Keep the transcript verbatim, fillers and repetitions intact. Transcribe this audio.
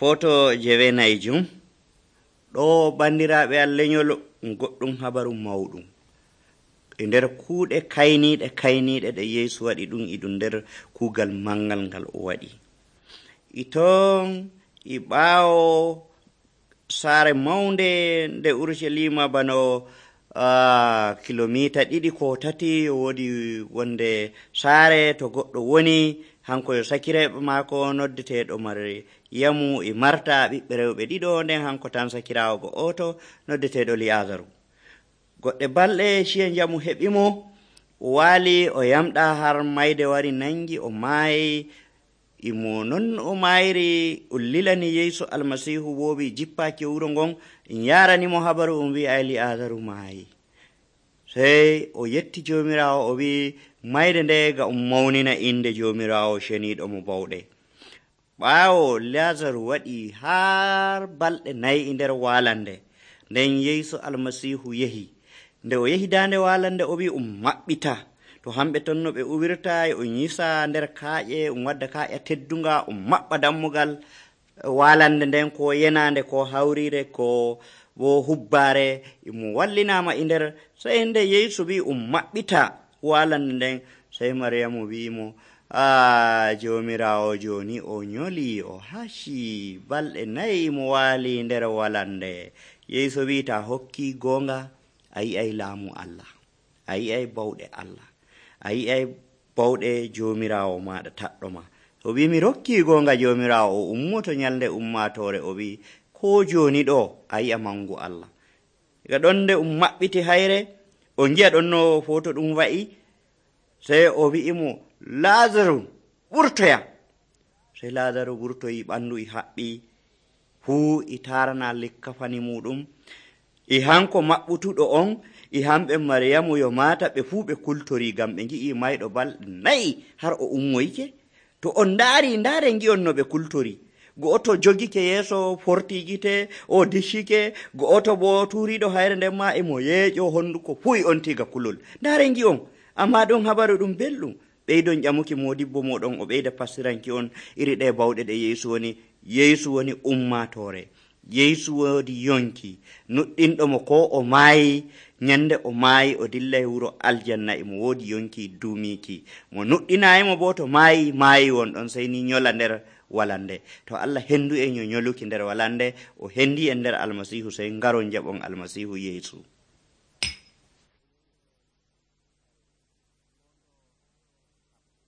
Foto jewenayjum ɗo bandiraɓe al lenyol goɗɗum habaru mawɗum e nder kuuɗe kayniɗe kayniɗe ɗe Yeesu waɗi ɗum e ɗum nder kuugal mangal ngal o waɗi. Iton e ɓaawo saare mawnde nde Urushalima bano uh, kilomita ɗiɗi ko tati woodi wonde saare to goɗɗo woni hanko yo sakirayɓe maako noddeteɗo Maryamu e Marta ɓiɓɓe rewɓe ɗiɗo, nden hanko tan sakiraawo go oto noddeteɗo Liyazaru. Goɗɗe balɗe ciya njamu heɓimo, o waali o yamɗa har mayde wari nangi o maayi. Imo non o mayri o lilani Yeesu almasihu woowi jippaaki wuro ngon en yaranimo habaru o wi ay Liyazaru maayi. Sey o yetti jomirawo o wi mayde nde ga um mawnina inde jomirawo ceniiɗo mo bawɗe. Ɓaawo Liyazaru waɗi har balɗe nayi e nder walande, nden Yeesu almasihu yehi. Nde o yehi dande walande o wi um maɓɓita. To hamɓe ton no ɓe uwirta e um yisa nder kaaƴe, um wadda kaaƴa teddunga, um maɓɓa dammugal walande nden ko yenande ko hawrire ko bo hubbare imo wallinama e nder. Sey nde Yeesu wi um maɓɓita walande nden, sey Maryamu wimo a jomirawo joni o nyoli o hashi balɗe nayi mo waali nder walande. Yeesu wi ta hokki gonga a yi'ay laamu Allah, a yi'ay bawɗe Allah, a yi'ay bawɗe jomirawo maɗa taɗɗo ma. O wi mi rokki gonga jomirawo o ummoto nyalde ummatore, o wi ko joni ɗo a yi'a mangu Allah. Ga ɗon nde um maɓɓiti hayre o gi'a ɗon no foto ɗum wa'i, sey o wi'imo Lazaru ɓurtoya. Sey Lazaru ɓurtoyi, ɓandu e haɓɓi fuu e tarana likkafani muɗum. E hanko maɓɓutuɗo on e hamɓe Maryamu yo mata ɓe fuu ɓe kultori gam ɓe gi'i mayɗo balɗe nayi har o ummoyke. To on ndaari ndaare gi'on no ɓe kultori. Go'oto jogike yeeso forti gite o dishike, go'oto bo turiɗo hayre nden ma emo yeeƴo honduko fuu e on tiga kulol. Ndaare gi'on, amma ɗon habaru ɗum belɗum. Ɓeydon ƴamuki modibbo moɗon o ɓeyda passiranki on iri ɗe bawɗe ɗe Yeesu woni. Yeesu woni ummatore, Yeesu woodi yonki nuɗɗinɗo mo ko o maayi. Nyande o maayi o dillay wuro aljanna emo woodi yonki duumiki. Mo nuɗɗinayimo bo to maayi maayi wonɗon sey ni nyola nder walande. To Allah hendu en yo nyoluki nder walande, o hendi en nder almasihu, sey ngaron jaɓon almasihu Yeesu.